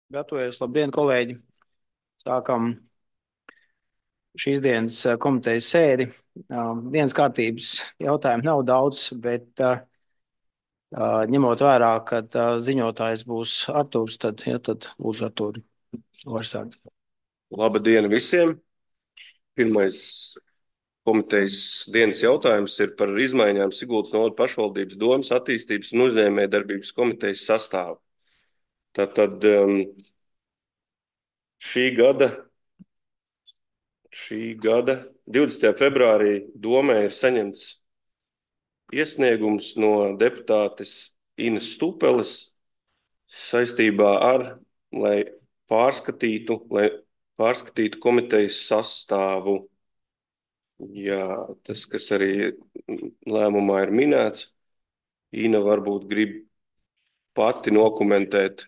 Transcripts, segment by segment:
Gatavojies, labdien, kolēģi! Sākam šīs dienas komitejas sēdi. Dienas kārtības jautājumu nav daudz, bet ņemot vērā, ka ziņotājs būs Artūrs, tad lūdzu Artūri, var sākt. Labdien visiem! Pirmais komitejas dienas jautājums ir par izmaiņām Sigultas novada pašvaldības domes attīstības un uzņēmējdarbības komitejas sastāvā. Tātad šī gada 20. februārī domē ir saņemts iesniegums no deputātes Inas Stupeles saistībā ar, lai pārskatītu komitejas sastāvu. Jā, tas, kas arī lēmumā ir minēts, Ina varbūt grib pati nokomentēt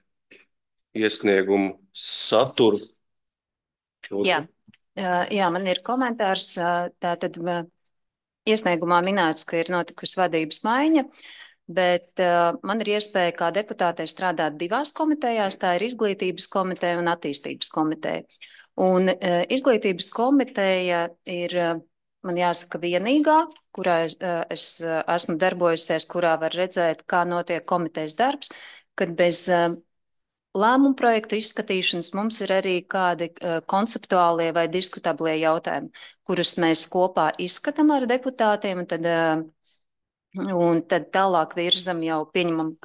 iesniegumu saturu. Jā, man ir komentārs. Tātad iesniegumā minēts, ka ir notikusi vadības maiņa, bet man ir iespēja kā deputātei strādāt divās komitejās. Tā ir izglītības komiteja un attīstības komiteja. Un izglītības komiteja ir, man jāsaka, vienīgā, kurā es esmu darbojusies, kurā var redzēt, kā notiek komitejas darbs, kad bez lēmumu projektu izskatīšanas mums ir arī kādi konceptuālie vai diskutablie jautājumi, kurus mēs kopā izskatām ar deputātiem, un tad tālāk virzam jau pieņemam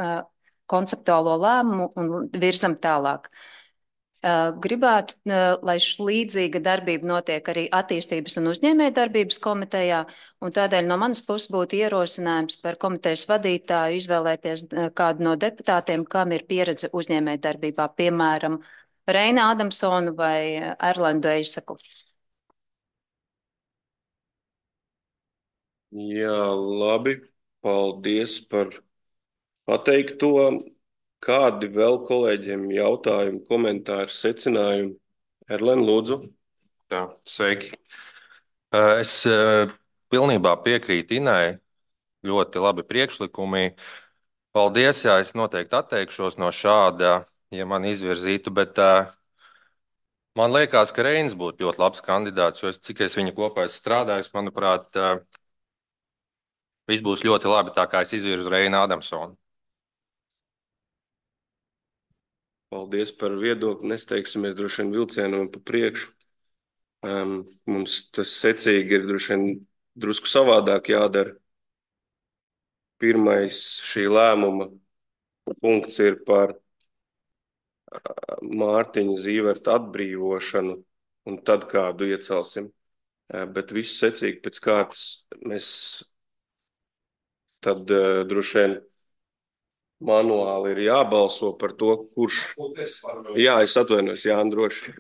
konceptuālo lēmumu un virzam tālāk. Gribētu, lai līdzīga darbība notiek arī attīstības un uzņēmējdarbības komitejā, un tādēļ no manas puses būtu ierosinājums par komitejas vadītāju izvēlēties kādu no deputātiem, kam ir pieredze uzņēmējdarbībā, piemēram, Reina Adamsonu vai Erlendu Eisaku. Jā, labi. Paldies par pateikto. Kādi vēl kolēģiem jautājumi, komentāri, secinājumi? Erlen, lūdzu. Jā, sveiki. Es pilnībā piekrītu Inai. Ļoti labi priekšlikumi. Paldies, jā, es noteikti atteikšos no šāda, ja man izvirzītu, bet man liekas, ka Reinis būtu ļoti labs kandidāts, jo cik es viņu kopā esmu strādājis, manuprāt, viss būs ļoti labi, tā kā es izvirzu Reinu Adamsonu. Paldies par viedokli. Nesteigsimies droši vien vilcienam pa priekšu. Mums tas secīgi ir droši vien drusku savādāk jādara. Pirmais šī lēmuma punkts ir par Mārtiņa Zīverta atbrīvošanu, un tad kādu iecelsim. Bet visu secīgi pēc kārtas mēs tad droši vien manuāli ir jābalso par to, kurš. Jā, es atvainojos, Jāni, droši.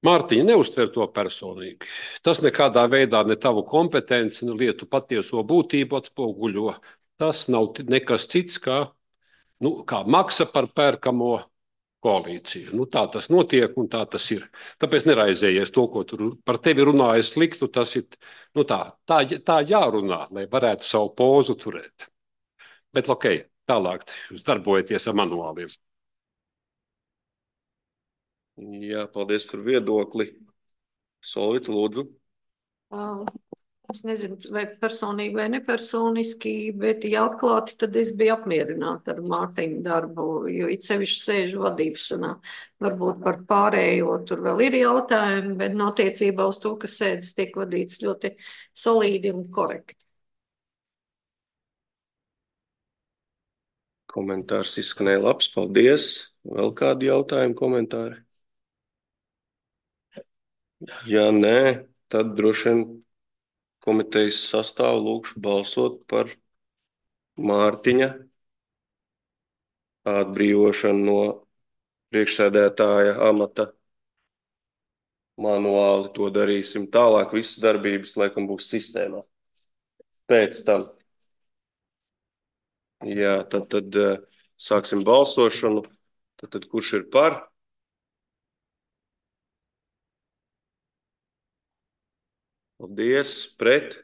Mārtiņa, neuztver to personīgi. Tas nekādā veidā ne tavu kompetenci, ne lietu patieso būtību atspoguļo. Tas nav nekas cits kā maksa par pērkamo koalīciju. Tā tas notiek un tā tas ir. Tāpēc neraizējies to, ko tur par tevi runāja sliktu. Tas ir tā jārunā, lai varētu savu pozu turēt. Bet ok, tālāk jūs darbojaties ar manuāliem. Jā, paldies par viedokli. Solvita, lūdzu. Es nezinu, vai personīgi vai nepersoniski, bet, ja atklāti, tad es biju apmierināta ar Mārtiņu darbu, jo it sevišķi sēžu vadīšanā. Varbūt par pārējo tur vēl ir jautājumi, bet no attiecībā uz to, ka sēdes tiek vadīts ļoti solīdi un korekti. Komentārs izskanēja labs, paldies. Vēl kādi jautājumi, komentāri? Ja nē, tad droši vien komitejas sastāvu lūkšu balsot par Mārtiņa atbrīvošanu no priekšsēdētāja amata. Manuāli to darīsim tālāk. Visas darbības, laikam, būs sistēmā. Pēc tam. Jā, tad sāksim balsošanu. Tad kurš ir par? Paldies, pret.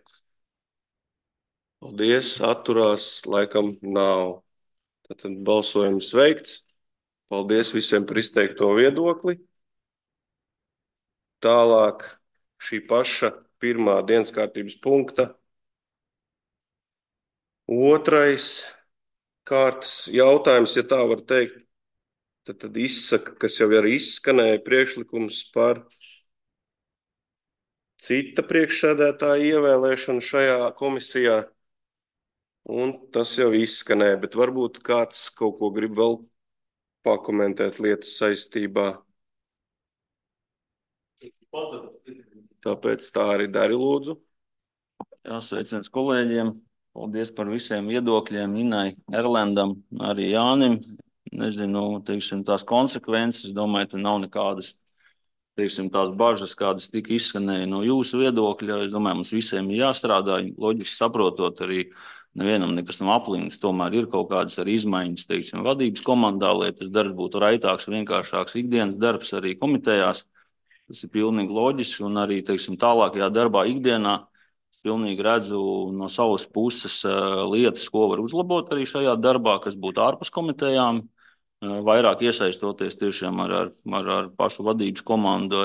Paldies, atturās, laikam nav. Tad balsojums veikts. Paldies visiem par izteikto viedokli. Tālāk šī paša pirmā dienas kārtības punkta. Otrais kārtas jautājums, ja tā var teikt, tad izsaka, kas jau arī izskanēja, priekšlikums par cita priekšsēdētāja ievēlēšanu šajā komisijā. Un tas jau izskanēja, bet varbūt kāds kaut ko grib vēl pakomentēt lietas saistībā. Tāpēc tā arī dari, lūdzu. Jā, sveiciens kolēģiem. Paldies par visiem viedokļiem, Inai, Erlendam, arī Jānim. Nezinu, teiksim, tās konsekvences. Domāju, te nav nekādas, teiksim, tās bažas, kādas tika izskanēja no jūsu viedokļa. Es domāju, mums visiem ir jāstrādā, loģiski saprotot arī nevienam nekas nav aplīns. Tomēr ir kaut kādas arī izmaiņas, teiksim, vadības komandā, lai tas darbs būtu raitāks, vienkāršāks ikdienas darbs arī komitejās. Tas ir pilnīgi loģiski un arī, teiksim, tālākajā darbā ikdienā pilnīgi redzu no savas puses lietas, ko var uzlabot arī šajā darbā, kas būtu ārpus komitejām, vairāk iesaistoties tiešām ar pašu vadības komandu,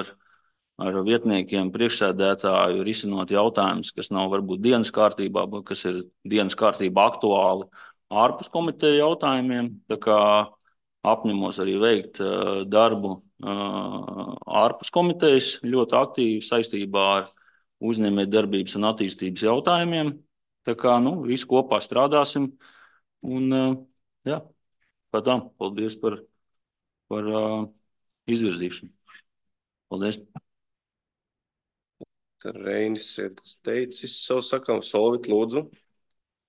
ar vietniekiem, priekšsēdētāju, risinot jautājumus, kas nav varbūt dienas kārtībā, bet kas ir dienas kārtībā aktuāli ārpus komiteju jautājumiem. Tā kā apņemos arī veikt darbu ārpus komitejas ļoti aktīvi saistībā ar uzņēmējdarbības un attīstības jautājumiem. Tā kā, visi kopā strādāsim. Un, jā, paldies par izvirzīšanu. Paldies. Reinis ir teicis savu sakām. Solvit, lūdzu.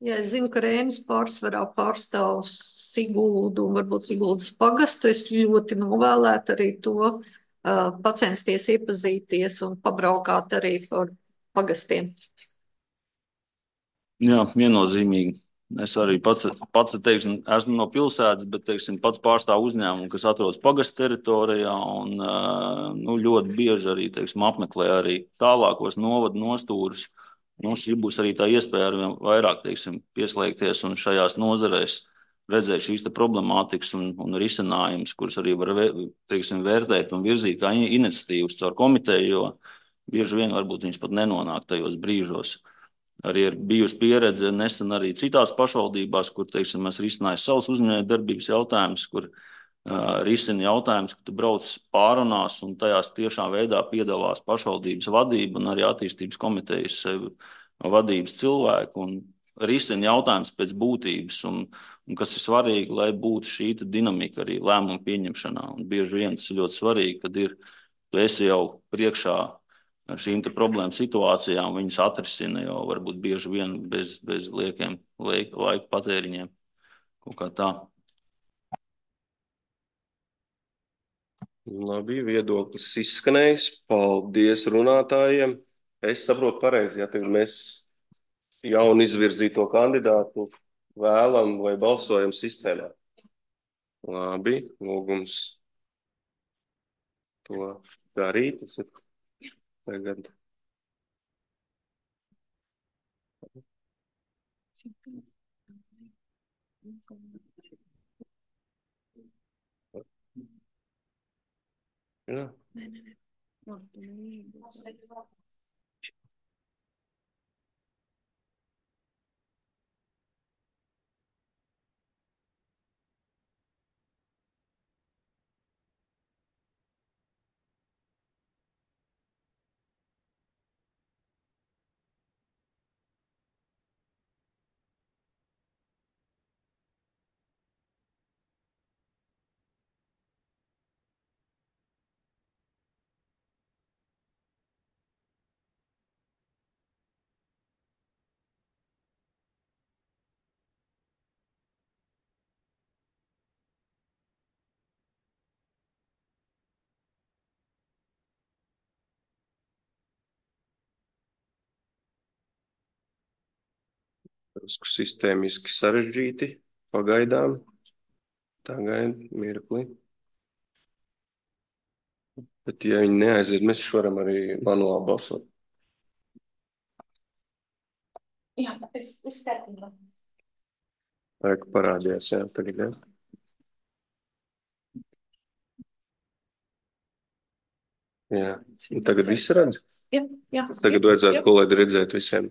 Jā, es zinu, ka Reinis pārsvarā pārstāv Siguldu un varbūt Siguldas pagastu. Es ļoti novēlētu arī to pacensties iepazīties un pabraukāt arī par pagastiem. Jā, viennozīmīgi. Es arī pats teiksim, esmu no pilsētas, bet teiksim, pats pārstāvu uzņēmumu, kas atrodas pagastu teritorijā un ļoti bieži arī teiksim, apmeklē arī tālākos novadu nostūrus. Šī būs arī tā iespēja arvien vairāk teiksim, pieslēgties un šajās nozarēs redzēt šīs problemātikas un risinājumus, kurus arī var teiksim, vērtēt un virzīt kā iniciatīvas caur komiteju, jo bieži vien varbūt viņš pat nenonāk tajos brīžos. Arī ir bijusi pieredze nesen arī citās pašvaldībās, kur, teiksim, mēs risinājām savus uzņēmējdarbības jautājumus, kur risina jautājums, ka tu brauc pārunās un tajās tiešām veidā piedalās pašvaldības vadība un arī attīstības komitejas vadības cilvēku un risina jautājums pēc būtības un kas ir svarīgi, lai būtu šī dinamika arī lēmumu pieņemšanā. Un bieži vien tas ir ļoti svarīgi, kad tu esi jau priekšā šīm problēmu situācijām, viņas atrisina jau varbūt bieži vien bez liekiem laika patēriņiem. Kaut kā tā. Labi, viedoklis izskanējis. Paldies runātājiem. Es saprotu pareizi, ja tagad mēs jaunu izvirzīto kandidātu vēlam vai balsojam sistēmā. Labi, lūgums to darīt. Tas ir tagad. Jā. Sistēmiski sarežģīti pagaidām. Tagad mirkli. Bet, ja viņi neaiziet, mēs varam arī manuāli balsot. Jā, es kārtībā. Parādījās, jā, tagad, jā. Jā. Un tagad viss redz? Jā. Tagad vajadzētu kolēģi redzēt visiem.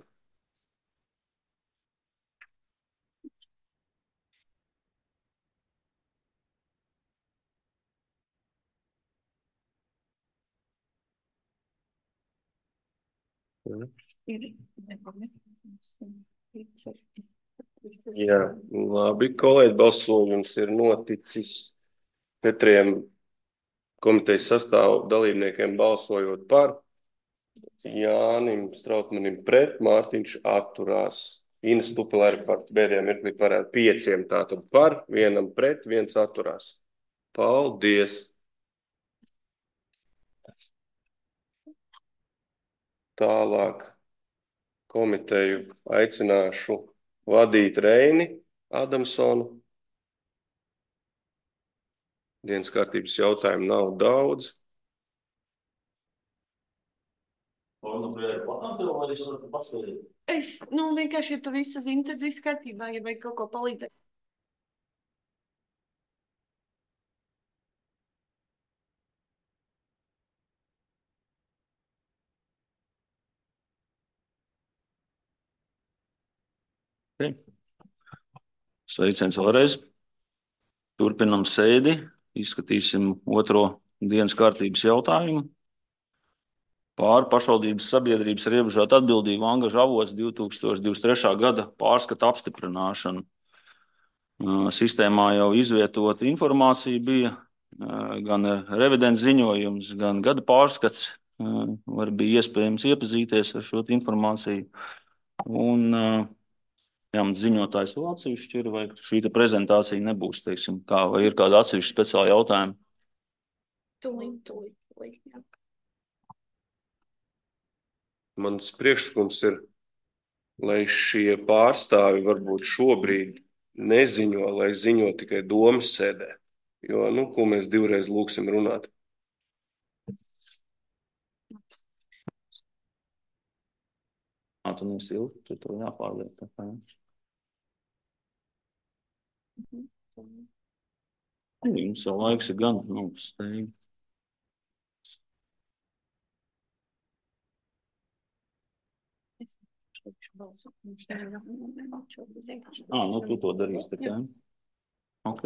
Jā, labi, kolēģi, balsojums ir noticis 4 komitejas sastāvu dalībniekiem balsojot par, Jānim Strautmanim pret, Mārtiņš atturās. Ines Tupelēri par bēdējā mirklī varētu 5 tātad par, 1 pret, 1 atturās. Paldies! Tālāk komiteju aicināšu vadīt Reini Adamsonu. Dienas kārtības jautājumu nav daudz. Es, vienkārši, ja tu visu zini, tad viss kārtībā, ja vajag kaut ko palīdzēt. Sveiciens vēlreiz. Turpinam sēdi. Izskatīsim otro dienas kārtības jautājumu. Pār pašvaldības sabiedrības ar ierobežotu atbildību angažu avots 2023. gada pārskata apstiprināšanu. Sistēmā jau izvietota informācija bija, gan revidents ziņojums, gan gada pārskats. Var bija iespējams iepazīties ar šo informāciju. Un ziņotājs vēl atsevišķi ir, vai šī prezentācija nebūs, teiksim, kā, vai ir kāda atsevišķa speciāla jautājuma? Tūlīt, jā. Mans priekšlikums ir, lai šie pārstāvi varbūt šobrīd neziņo, lai ziņo tikai domas sēdē. Jo, ko mēs 2 reizes lūksim runāt? Tu nesilti, tu to jāpārliek. Jums jau laiks ir gan, steigi. Tu to darīsi tikai. Ok.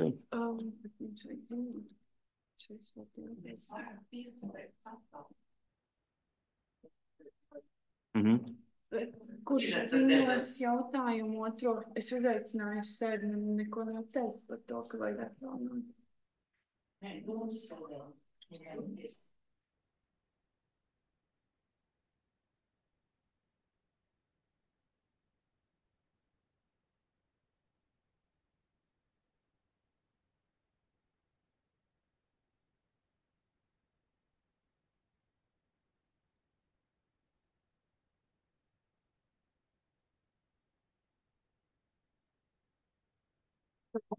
Kurš ziņos jautājumu otro? Es uzaicināju sēdi, neko nav teikt par to, ka vajag atjaunot.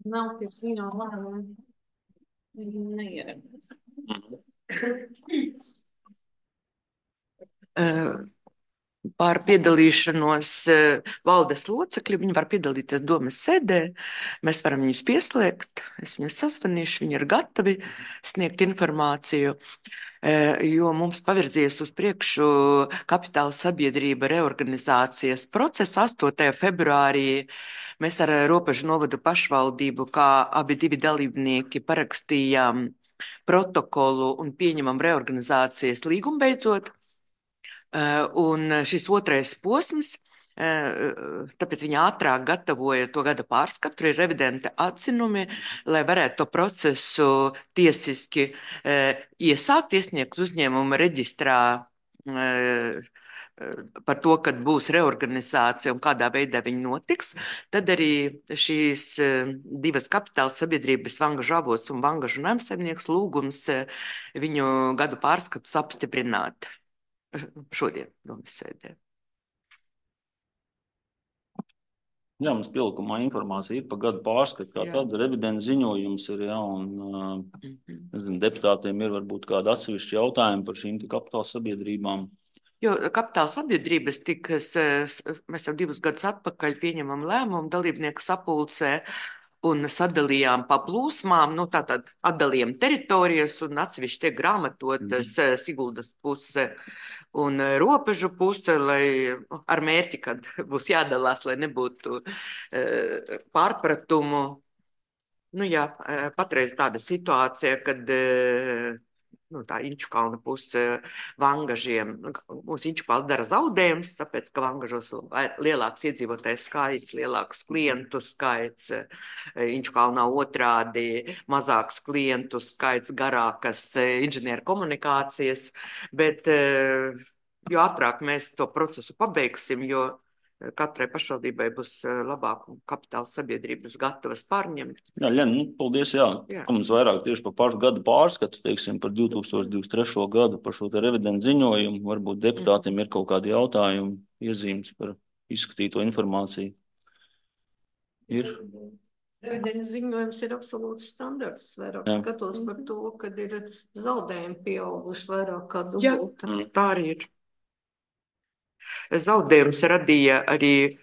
Nav pie ziņo lēmumu. Neieradās. Par piedalīšanos valdes locekļi, viņi var piedalīties domas sēdē, mēs varam viņus pieslēgt, es viņus sasvanīšu, viņi ir gatavi sniegt informāciju, jo mums pavirzies uz priekšu kapitāla sabiedrība reorganizācijas procesa 8. februārī. Mēs ar Robežu novadu pašvaldību, kā abi 2 dalībnieki, parakstījām protokolu un pieņemam reorganizācijas līgumu beidzot. Un šis 2. posms, tāpēc viņi ātrāk gatavoja to gada pārskatu, tur ir revidenta atzinumi, lai varētu to procesu tiesiski iesākt, iesniegt uzņēmuma reģistrā par to, kad būs reorganizācija un kādā veidā viņi notiks. Tad arī šīs 2 kapitāla sabiedrības, Vangažu avots un Vangažu namsaimnieks, lūgums viņu gadu pārskatus apstiprināt šodien domas sēdē. Jā, mums pielikumā informācija ir par gadu pārskatu, kā tāda revidenta ziņojums ir, un deputātiem ir varbūt kādi atsevišķi jautājumi par šīm kapitāla sabiedrībām. Jo kapitāla sabiedrības mēs jau 2 gadus atpakaļ pieņemam lēmumu dalībnieku sapulcē un sadalījām pa plūsmām, tātad atdalījām teritorijas un atsevišķi tiek grāmatotas Siguldas puse un robežu puse, lai ar mērķi, kad būs jādalās, lai nebūtu pārpratumu. Jā, patreiz tāda situācija, kad tā Inčukalna puse Vangažiem, mūsu Inčukals dara zaudējumus, tāpēc, ka Vangažos lielāks iedzīvotājs skaits, lielāks klientu skaits, Inčukalnā otrādi mazāks klientu skaits, garākas inženieru komunikācijas, bet jo ātrāk mēs to procesu pabeigsim, jo katrai pašvaldībai būs labāk un kapitāla sabiedrības gatavas pārņemt. Jā, Ļena, paldies, jā. Mums vairāk tieši par pašu gadu pārskatu, teiksim, par 2023. gadu, par šo te revidentu ziņojumu. Varbūt deputātiem ir kaut kādi jautājumi, iezīmes par izskatīto informāciju. Ir? Revidentu ziņojums ir absolūts standarts. Vairāk skatos par to, kad ir zaudējumi pieauguši vairāk kā dubulta. Jā, tā arī ir. Zaudējums radīja arī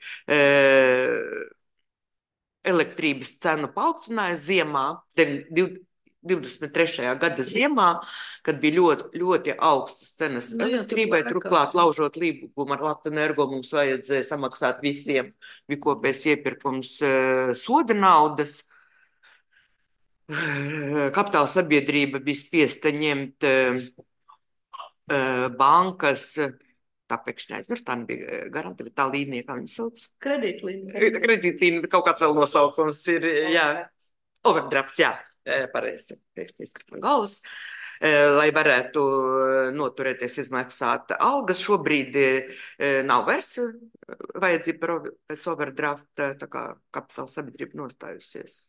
elektrības cenu paaugstinājumu ziemā, 23. gada ziemā, kad bija ļoti, ļoti augstas cenas elektrībai, turklāt laužot līgumu ar Latvenergo mums vajadzēja samaksāt visiem, bija kopējs iepirkums soda naudas. Kapitāla sabiedrība bija spiesta ņemt bankas, tā pēkšņi aizmirst, tā nebija garanta, bet tā līnija, kā viņu sauc? Kredītlīnija. Kredītlīnija, kaut kāds vēl nosaukums ir, jā. Overdrafts, jā, pareizi, pēkšņi izkrīt no galvas. Lai varētu noturēties izmaksāt algas, šobrīd nav vairs vajadzība pēc overdrafta, tā kā kapitāla sabiedrība nostājusies.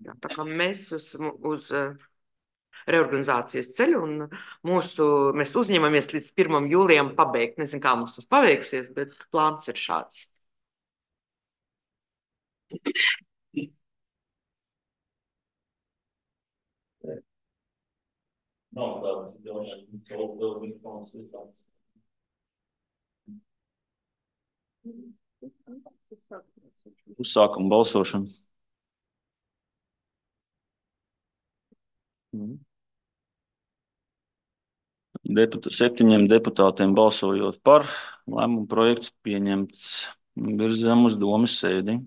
Jā, tā kā mēs uz reorganizācijas ceļu un mēs uzņemamies līdz 1. jūlijam pabeigt. Nezinu, kā mums tas paveiksies, bet plāns ir šāds. Uzsākam balsošanu. Septiņiem deputātiem balsojot par, lēmumu projekts pieņemts. Virzam uz domes sēdi.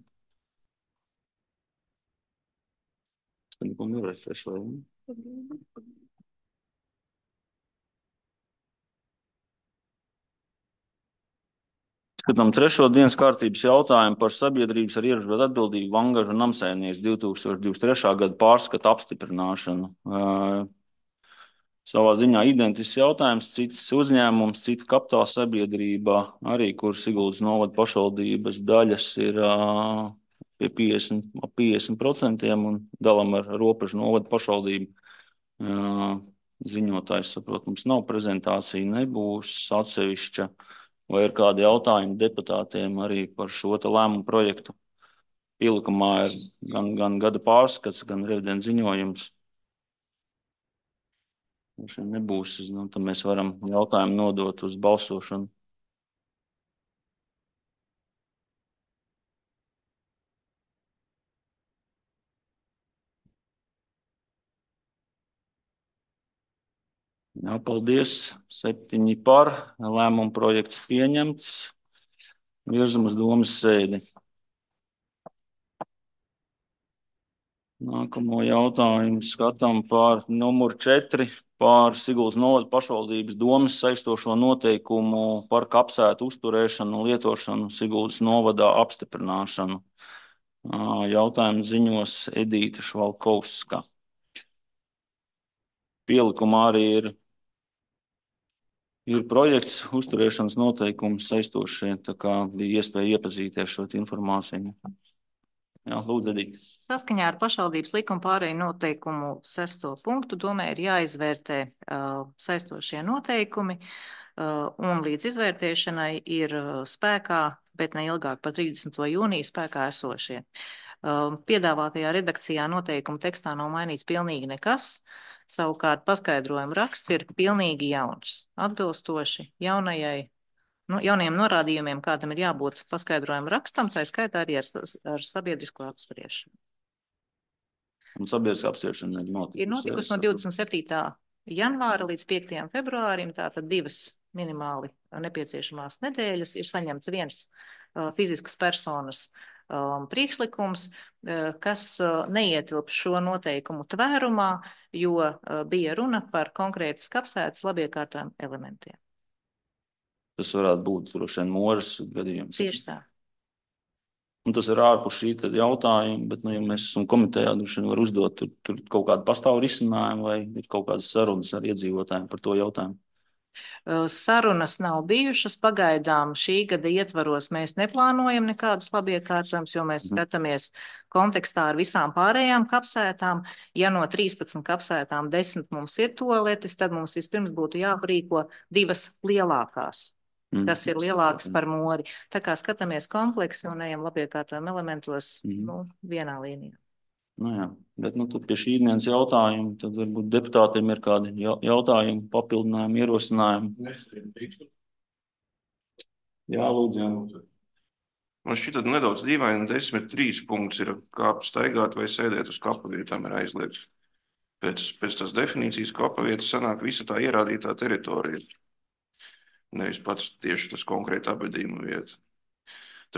Skatām 3. dienas kārtības jautājumu par sabiedrības ar ierobežotu atbildību Vangažu namsaimnieks 2023. gada pārskatu apstiprināšanu. Savā ziņā identisks jautājums, cits uzņēmums, cita kapitāla sabiedrība, arī kur Siguldas novada pašvaldības daļas ir pie 50% un dalam ar Ropežu novada pašvaldību. Ziņotājs, saprot, mums nav prezentācija, nebūs atsevišķa. Vai ir kādi jautājumi deputātiem arī par šo te lēmumu projektu? Pielikumā ir gan gada pārskats, gan revidentu ziņojums. Nebūs, tad mēs varam jautājumu nodot uz balsošanu. Jā, paldies. 7 par, lēmumu projekts pieņemts. Virzam uz domes sēdi. Nākamo jautājumu skatām par numuru 4, par Siguldas novada pašvaldības domes saistošo noteikumu par kapsētu uzturēšanu un lietošanu Siguldas novadā apstiprināšanu. Jautājumu ziņos Edīta Švalkovska. Pielikumā arī ir projekts uzturēšanas noteikumu saistošie, tā kā bija iespēja iepazīties šo informāciju. Jā, lūdzu, Edīte. Saskaņā ar pašvaldības likuma pārēju noteikumu 6. punktu domē ir jāizvērtē saistošie noteikumi un līdz izvērtēšanai ir spēkā, bet ne ilgāk par 30. jūniju spēkā esošie. Piedāvātajā redakcijā noteikumu tekstā nav mainīts pilnīgi nekas. Savukārt paskaidrojuma raksts ir pilnīgi jauns, atbilstoši jaunajiem norādījumiem, kādam ir jābūt paskaidrojuma rakstam, tā skaitā arī ar sabiedrisko apspriešanu. Un sabiedriskā apspriešana ir notikusi no 27. janvāra līdz 5. februārim, tātad 2 minimāli nepieciešamās nedēļas, ir saņemts viens fiziskas personas priekšlikums, kas neietilp šo noteikumu tvērumā, jo bija runa par konkrētas kapsētas labiekārtojumiem elementiem. Tas varētu būt droši vien Moras gadījums. Tieši tā. Un tas ir ārpus šī jautājuma, bet, ja mēs esam komitejā, droši vien var uzdot, tur kaut kādu pastāvu risinājumu vai ir kaut kādas sarunas ar iedzīvotājiem par to jautājumu. Sarunas nav bijušas. Pagaidām šī gada ietvaros mēs neplānojam nekādus labiekārtojumus, jo mēs skatāmies kontekstā ar visām pārējām kapsētām. Ja no 13 kapsētām 10 mums ir toaletes, tad mums vispirms būtu jāprīko 2 lielākās, kas ir lielākas par Mori. Tā kā skatāmies kompleksi un ejam labiekārtojumu elementos vienā līnijā. Jā, bet tur pie šī dienas jautājuma, tad varbūt deputātiem ir kādi jautājumi, papildinājumi, ierosinājumi. Jā, lūdzu. Man šķiet nedaudz dīvaini, 10.3 punkts ir kāpt, staigāt vai sēdēt uz kapa vietām ir aizliegts. Pēc tās definīcijas kapa vieta sanāk visa tā ierādītā teritorija. Nevis pats tieši tas konkrēti apbedījuma vieta.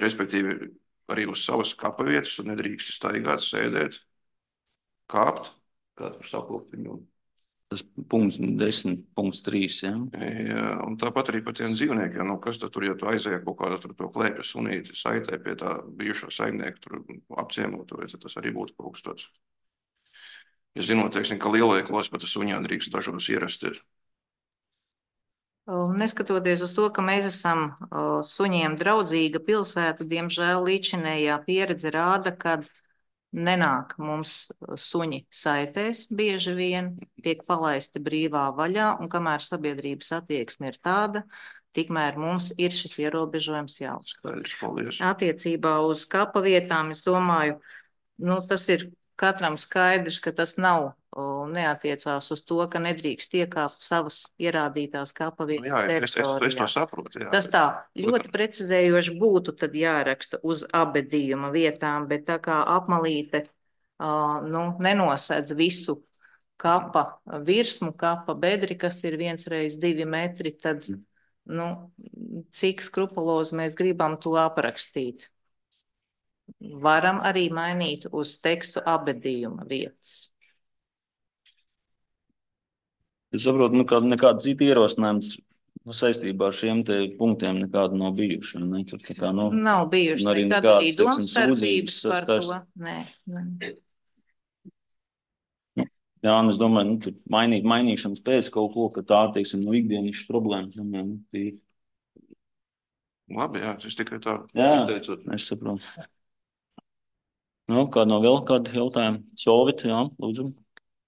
Respektīvi, arī uz savas kapa vietas un nedrīkst staigāt, sēdēt, kāpt. Kāds var saplūkt viņu? Tas punkts 10.3, ja? Jā, un tāpat arī par tiem dzīvniekiem. Kas tad tur, ja tu aizēji kaut kādā tur to klēpja sunīti, saitē pie tā bijušo saimnieku tur apciemot, vai tas arī būtu kaut kas tāds? Ja zinot, teiksim, ka lielveikalos pat suņā drīkst dažos ierasties. Neskatoties uz to, ka mēs esam suņiem draudzīga pilsēta, diemžēl līdzinējā pieredze rāda, ka nenāk mums suņi saitēs bieži vien, tiek palaisti brīvā vaļā, un kamēr sabiedrības attieksme ir tāda, tikmēr mums ir šis ierobežojums jāuztur. Attiecībā uz kapa vietām, es domāju, tas ir katram skaidrs, ka tas neatiecās uz to, ka nedrīkst iekāpt savas ierādītās kapa vietas teritorijā. Es to saprotu, jā. Tas tā ļoti precizējoši būtu tad jāraksta uz apbedījuma vietām, bet tā kā apmalīte nenosedz visu kapa virsmu, kapa bedri, kas ir 1x2 metri, tad cik skrupulozi mēs gribam to aprakstīt. Varam arī mainīt uz tekstu apbedījuma vietas. Es saprotu, nekāda cita ierosinājums saistībā ar šiem te punktiem nekāda nav bijuši. Nav bijuši, nekad arī domstarpības par to. Nē. Jā, un es domāju, mainīšanas pēc kaut ko, ka tā, teiksim, ikdienišas problēmas. Labi, jā, es tikai tā. Jā, es saprotu. Kāda nav vēl kāda jautājuma? Solvit, jā, lūdzu.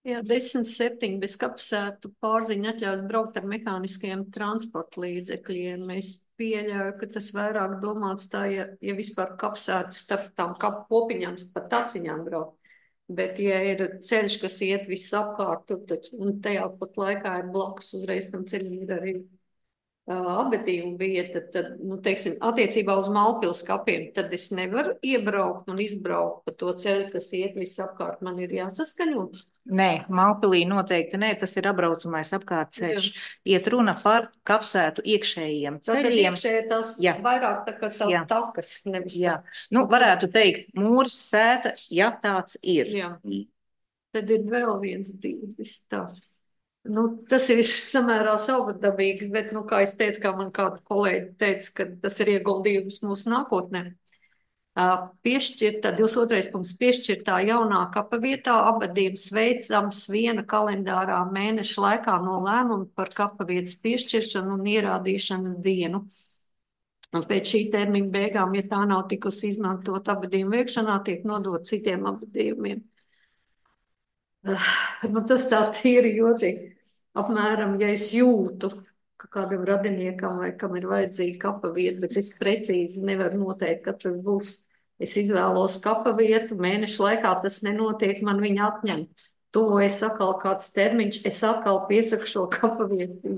Jā, 10.7. bez kapsētu pārziņa atļaus braukt ar mehāniskiem transporta līdzekļiem. Es pieļauju, ka tas vairāk domāts tā, ja vispār kapsētu starp tām kapu popiņām, pat taciņām braukt. Bet, ja ir ceļš, kas iet viss apkārt, un tajā pat laikā ir blakus uzreiz tam ceļam ir arī apbedījuma vieta, tad, teiksim, attiecībā uz Malpils kapiem, tad es nevaru iebraukt un izbraukt pa to ceļu, kas iet viss apkārt, man ir jāsaskaņo. Nē, Malpilī noteikti nē, tas ir apbraucamais apkārt ceļš. Iet runa par kapsētu iekšējiem ceļiem. Tātad iekšēji tās vairāk tā kā tās takas, nevis tā. Varētu teikt, mūras sēta, ja tāds ir. Jā. Tad ir vēl viens divis tā. Tas ir samērā savvadabīgs, bet, kā es teicu, kā man kāda kolēģi teica, ka tas ir ieguldījums mūsu nākotnē. Piešķirtā, 22. punkts, piešķirtā jaunā kapa vietā apbedījums veicams 1 kalendārā mēneša laikā no lēmuma par kapa vietas piešķiršanu un ierādīšanas dienu. Un pēc šī termiņa beigām, ja tā nav tikusi izmantot apbedījumu veikšanā, tiek nodot citiem apbedījumiem. Tas tā tīri jocīgi. Apmēram, ja es jūtu, ka kādam radiniekam vai kam ir vajadzīga kapa vieta, bet es precīzi nevaru noteikt, kad tas būs. Es izvēlos kapa vietu, mēnešu laikā tas nenotiek, man viņa atņem tuvojas atkal kāds termiņš, es atkal piesaku šo kapavietu.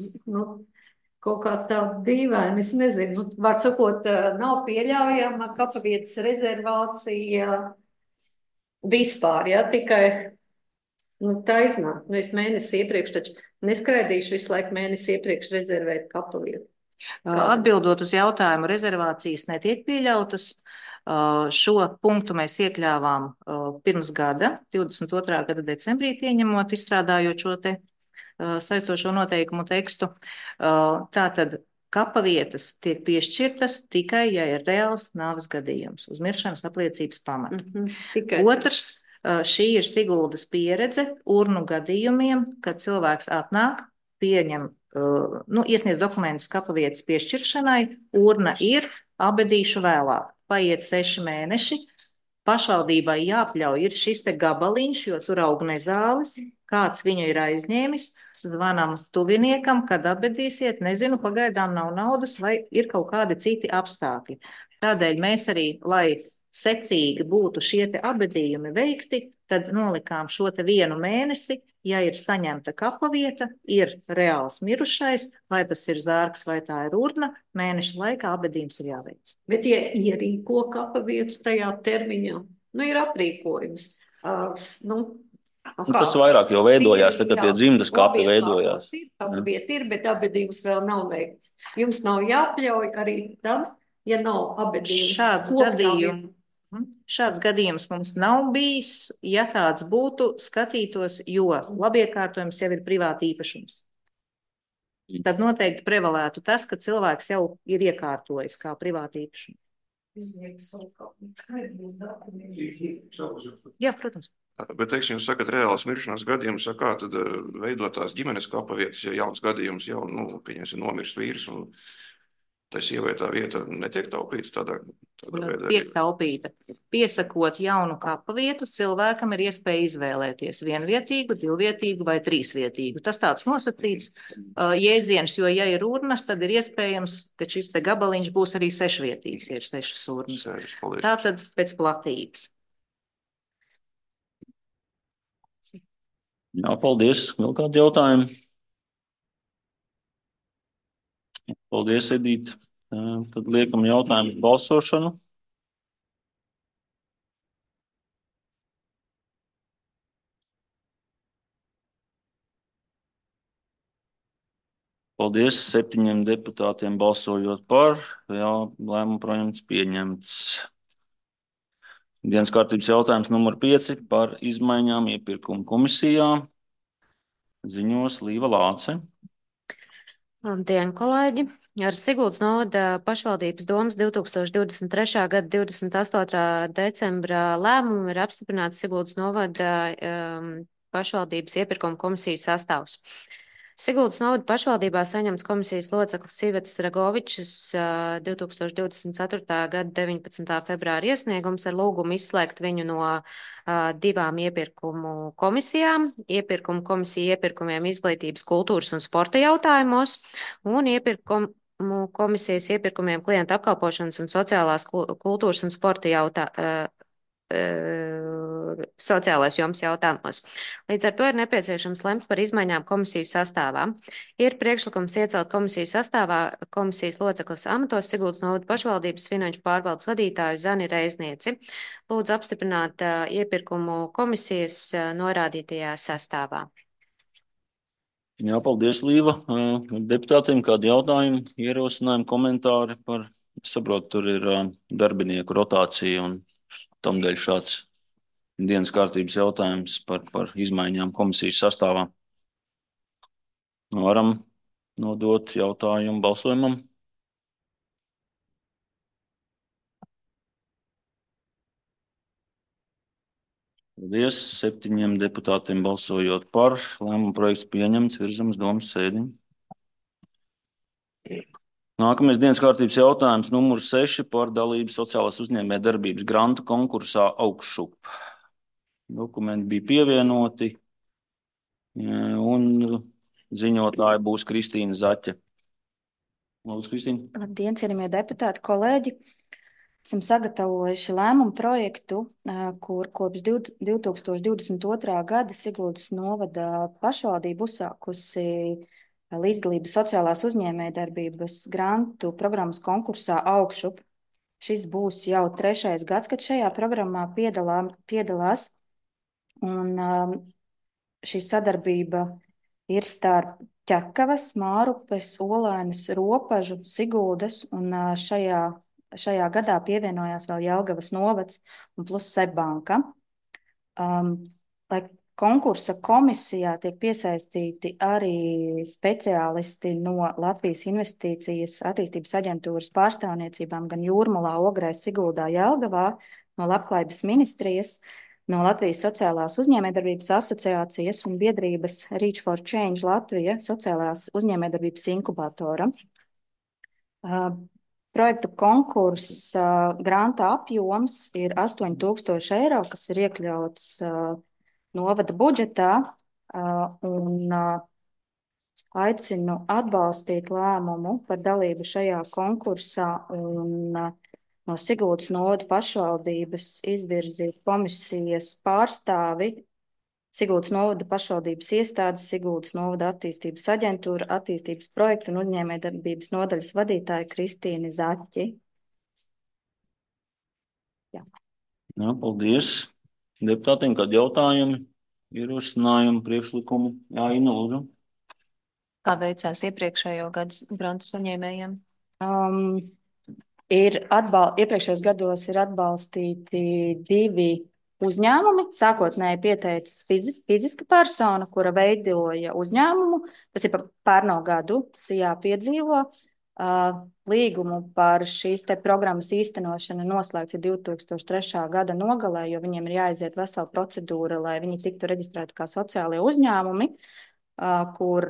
Kaut kā tā dīvaini, es nezinu, var sakot, nav pieļaujama kapavietas rezervācija vispār, ja, tikai, tā iznāk. Es mēnesi iepriekš taču neskraidīšu visu laiku mēnesi iepriekš rezervēt kapavietu. Atbildot uz jautājumu, rezervācijas netiek pieļautas. Šo punktu mēs iekļāvām pirms gada, 22. gada decembrī pieņemot, izstrādājot šo te saistošo noteikumu tekstu. Tātad kapavietas tiek piešķirtas tikai, ja ir reāls nāves gadījums uz miršanas apliecības pamata. Otrs, šī ir Siguldas pieredze urnu gadījumiem, kad cilvēks atnāk, pieņem, iesniedz dokumentus kapavietas piešķiršanai, urna ir, abedīšu vēlāk. Paiet 6 mēneši, pašvaldībai jāpļauj ir šis te gabaliņš, jo tur aug nezāles, kāds viņu ir aizņēmis, zvanam tuviniekam, kad abedīsiet, nezinu, pagaidām nav naudas vai ir kaut kādi citi apstākļi. Tādēļ mēs arī, lai secīgi būtu šie te abedījumi veikti, tad nolikām šo te 1 mēnesi, ja ir saņemta kapavieta, ir reāls mirušais, vai tas ir zārks, vai tā ir urna, mēneša laikā abedījums ir jāveic. Bet, ja ierīko kapavietu tajā termiņā, ir aprīkojums. Tas vairāk jau veidojās, tad tie dzimtas kapi veidojās. Kapavieta ir, bet abedījums vēl nav veikts. Jums nav jāpļauj arī tad, ja nav abedījums. Šāds gadījums mums nav bijis. Ja tāds būtu, skatītos, jo labiekārtojums jau ir privāta īpašums. Tad noteikti prevalētu tas, ka cilvēks jau ir iekārtojis kā privāta īpašumu. Jā, protams. Bet, teiksim, jūs sakat, reāls miršanās gadījums, kā tad veidotās ģimenes kapavietas, ja jauns gadījums jau, pieņemsim, nomirst vīrs un tā sievai tā vieta netiek taupīta tādā veidā? Tiek taupīta. Piesakot jaunu kapavietu, cilvēkam ir iespēja izvēlēties 1-vietīgu, 2-vietīgu vai 3-vietīgu. Tas tāds nosacīts jēdziens, jo ja ir urnas, tad ir iespējams, ka šis te gabaliņš būs arī 6-vietīgs, ja ir 6 urnas. Tātad pēc platības. Jā, paldies. Vēl kādi jautājumi? Paldies, Edīte. Tad liekam jautājumu balsošanu. Paldies 7 deputātiem balsojot par. Jā, lēmumu projekts pieņemts. Dienas kārtības jautājums numur 5 par izmaiņām iepirkuma komisijā. Ziņos Līva Lāce. Labdien, kolēģi! Ar Siguldas novada pašvaldības domas 2023. gada 28. decembra lēmumu ir apstiprināts Siguldas novada pašvaldības iepirkuma komisijas sastāvs. Siguldas novada pašvaldībā saņemts komisijas loceklis Sivetas Ragovičs 2024. gada 19. februāra iesniegums ar lūgumu izslēgt viņu no 2 iepirkumu komisijām. Iepirkumu komisija iepirkumiem izglītības, kultūras un sporta jautājumos un iepirkumu komisijas iepirkumiem klienta apkalpošanas un sociālās kultūras un sporta sociālais joms jautājumos. Līdz ar to ir nepieciešams lemt par izmaiņām komisijas sastāvā. Ir priekšlikums iecelt komisijas sastāvā komisijas loceklis amatos Siguldas novada pašvaldības finanšu pārvaldes vadītāju Zani Reiznieci. Lūdzu apstiprināt iepirkumu komisijas norādītajā sastāvā. Jā, paldies, Līva. Deputātiem kādi jautājumi, ierosinājumi, komentāri par, saprotu, tur ir darbinieku rotācija un tamdēļ šāds dienas kārtības jautājums par izmaiņām komisijas sastāvā. Varam nodot jautājumu balsojumam. Paldies 7 deputātiem balsojot par. Lēmuma projekts pieņemts, virzams domas sēdi. Nākamais dienas kārtības jautājums numur 6 par dalību sociālās uzņēmējdarbības grantu konkursā Augšup. Dokumenti bija pievienoti un ziņotāja būs Kristīna Zaķe. Lūdzu, Kristīna. Labdien, cienījamie deputāti, kolēģi! esam sagatavojuši lēmumu projektu, kur kopš 2022. gada Siguldas novada pašvaldība uzsākusi līdzdalības sociālās uzņēmējdarbības grantu programmas konkursā Augšup. Šis būs jau 3. gads, kad šajā programmā piedalās. Un šī sadarbība ir starp Ķekavas, Mārupes, Olainas, Ropažu, Siguldas, un šajā gadā pievienojās vēl Jelgavas novads un plus Seibanka. Lai konkursa komisijā tiek piesaistīti arī speciālisti no Latvijas investīcijas attīstības aģentūras pārstāvniecībām gan Jūrmalā, Ogrē, Siguldā, Jelgavā, no Labklājības ministrijas, no Latvijas sociālās uzņēmējdarbības asociācijas un biedrības Reach for Change Latvija sociālās uzņēmējdarbības inkubatora. Projekta konkursa granta apjoms ir 8,000 eiro, kas ir iekļauts novada budžetā, un aicinu atbalstīt lēmumu par dalību šajā konkursā un no Siguldas novada pašvaldības izvirzīt komisijas pārstāvi Siguldas novada pašvaldības iestādes, Siguldas novada attīstības aģentūra, attīstības projektu un uzņēmējdarbības nodaļas vadītāja Kristīni Zaķi. Jā, paldies deputātiem, kādi jautājumi, ierosinājumi, priekšlikumi. Jā, Ina, lūdzu. Kā veicās iepriekšējo gadu grantu saņēmējiem? Iepriekšējos gados ir atbalstīti 2 uzņēmumi. Sākotnēji pieteicis fiziska persona, kura veidoja uzņēmumu. Tas ir par pērno gadu SIA piedzīvo. Līgumu par šīs te programmas īstenošanu noslēgts 2003. gada nogalē, jo viņiem ir jāiziet vesela procedūra, lai viņi tiktu reģistrēti kā sociālie uzņēmumi, kur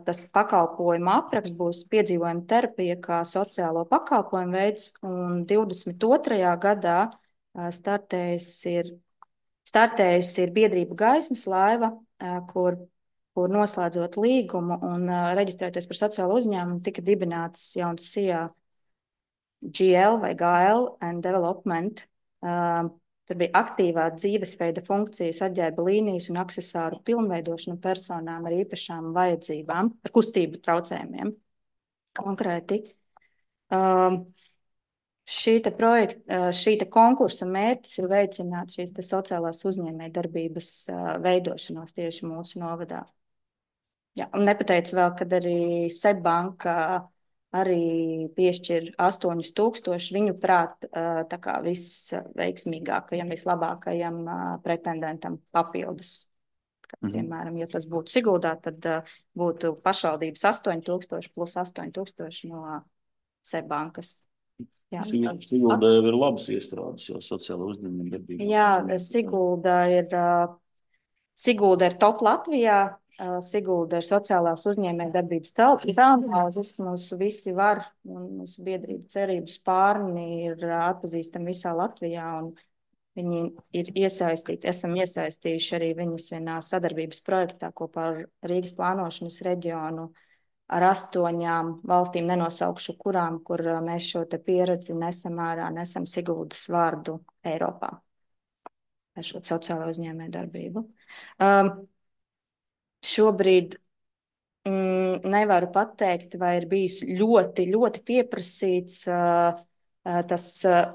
tas pakalpojuma apraksts būs piedzīvojuma terapija kā sociālo pakalpojumu veids, un 22. gadā startējusi ir biedrība Gaismas laiva, kur noslēdzot līgumu un reģistrēties par sociālo uzņēmumu, tika dibināts jauns SIA GL vai GL and Development. Tur bija aktīvā dzīvesveida funkcijas, atģērba līnijas un aksesāru pilnveidošana personām ar īpašām vajadzībām, ar kustību traucējumiem konkrēti. Šī konkursa mērķis ir veicināt šīs sociālās uzņēmējdarbības veidošanos tieši mūsu novadā. Jā, un nepateicu vēl, kad arī Seibanka arī piešķir 8,000, viņu prāt tā kā visveiksmīgākajam, vislabākajam pretendentam papildus. Piemēram, ja tas būtu Siguldā, tad būtu pašvaldības 8,000 plus 8,000 no Seibankas. Siguldā jau ir labas iestrādes, jau sociāla uzņēmējdarbība. Jā, Sigulda ir top Latvijā. Sigulda ir sociālās uzņēmējdarbības celtniecības. Mūsu visi var un mūsu biedrība cerību spārni ir atpazīstami visā Latvijā, un viņi ir iesaistīti. Esam iesaistījuši arī viņus vienā sadarbības projektā kopā ar Rīgas plānošanas reģionu ar 8 valstīm, nenosaukšu kurām, kur mēs šo te pieredzi nesam ārā, nesam Siguldas vārdu Eiropā. Ar šo sociālo uzņēmējdarbību. Šobrīd nevaru pateikt, vai ir bijis ļoti, ļoti pieprasīts tas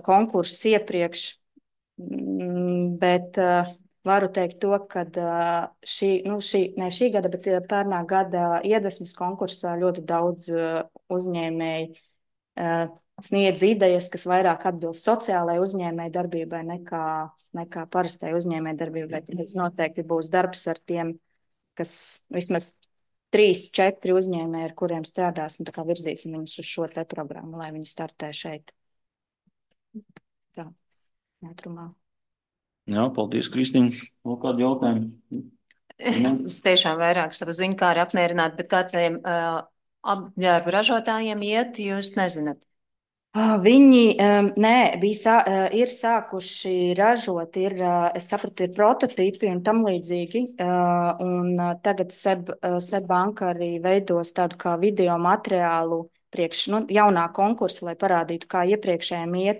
konkurss iepriekš, bet varu teikt to, ka šī gada, bet pērnā gada iedvesmas konkursā ļoti daudz uzņēmēji sniedz idejas, kas vairāk atbilst sociālajai uzņēmējdarbībai nekā parastai uzņēmējdarbībai. Tāpēc noteikti būs darbs ar tiem, kas vismaz 3-4 uzņēmēji, ar kuriem strādāsim, tā kā virzīsim viņus uz šo te programmu, lai viņi startē šeit. Tā, ātrumā. Jā, paldies, Kristīne. Vēl kādi jautājumi? Es tiešām vairāk savu ziņkāri apmierinātu, bet kā tiem apģērbu ražotājiem iet, jūs nezināt? Viņi ir sākuši ražot, es sapratu, ir prototipi un tam līdzīgi, un tagad Seibanka arī veidos tādu kā video materiālu jaunā konkursa, lai parādītu, kā iepriekšējiem iet.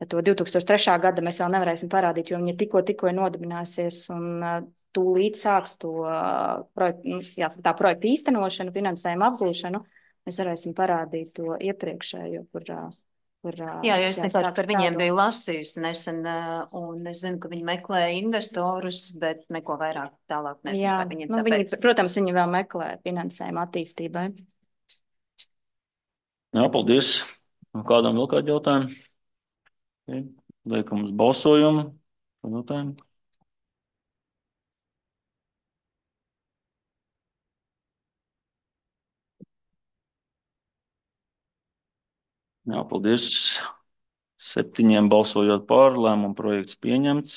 To 2003. gada mēs vēl nevarēsim parādīt, jo viņa tikko ir nodibinājusies un tūlīt sāks to projektu īstenošanu, finansējumu apgūšanu. Mēs varēsim parādīt to iepriekšējo, Jā, jo es vienkārši par viņiem biju lasījusi nesen, un es zinu, ka viņi meklē investorus, bet neko vairāk tālāk nezinu par viņiem. Viņi, protams, viņi vēl meklē finansējumu attīstībai. Jā, paldies. Kādam vēl kādi jautājumi? Liekam uz balsojumu. Jautājumu. Jā, paldies. 7 balsojot par, lēmuma projekts pieņemts.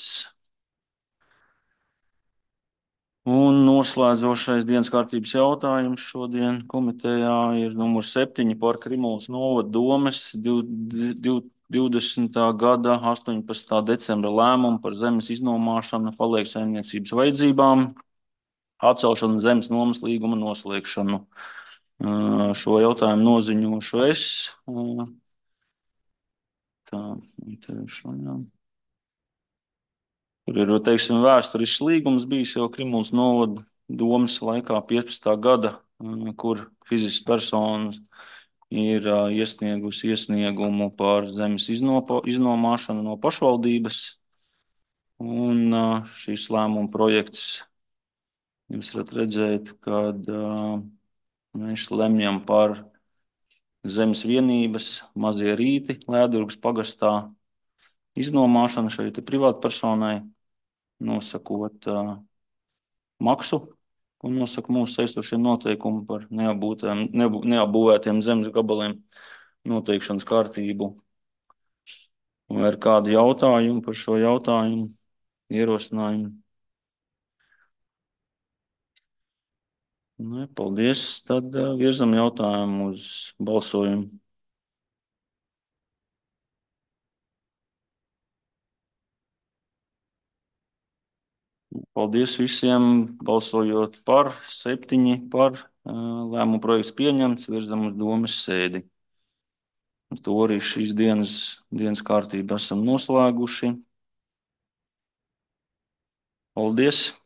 Un noslēdzošais dienas kārtības jautājums šodien komitejā ir numurs 7 par Krimulas novada domes 20. gada 18. decembra lēmumu par zemes iznomāšanu palieksaimniecības vajadzībām, atcelšanu zemes nomas līguma noslēgšanu. Šo jautājumu noziņošu es. Tur ir, teiksim, vēsturisks līgums bijis jau Krimulas novada domes laikā 15. gada, kur fizisks personas ir iesniegusi iesniegumu par zemes iznomāšanu no pašvaldības. Un šīs lēmuma projekts, jūs varat redzēt, kad mēs lemjam par zemes vienības Mazie Rīti, Lēdurgas pagastā iznomāšanu šeit privātpersonai, nosakot maksu, ko nosaka mūsu saistošie noteikumi par neapbūvētiem zemes gabaliem noteikšanas kārtību. Vai ir kādi jautājumi par šo jautājumu, ierosinājumu? Ne, paldies. Tad virzam jautājumu uz balsojumu. Paldies visiem, balsojot par 7 par lēmumu projekts pieņemts, virzam uz domes sēdi. Ar to arī šīs dienas kārtību esam noslēguši. Paldies!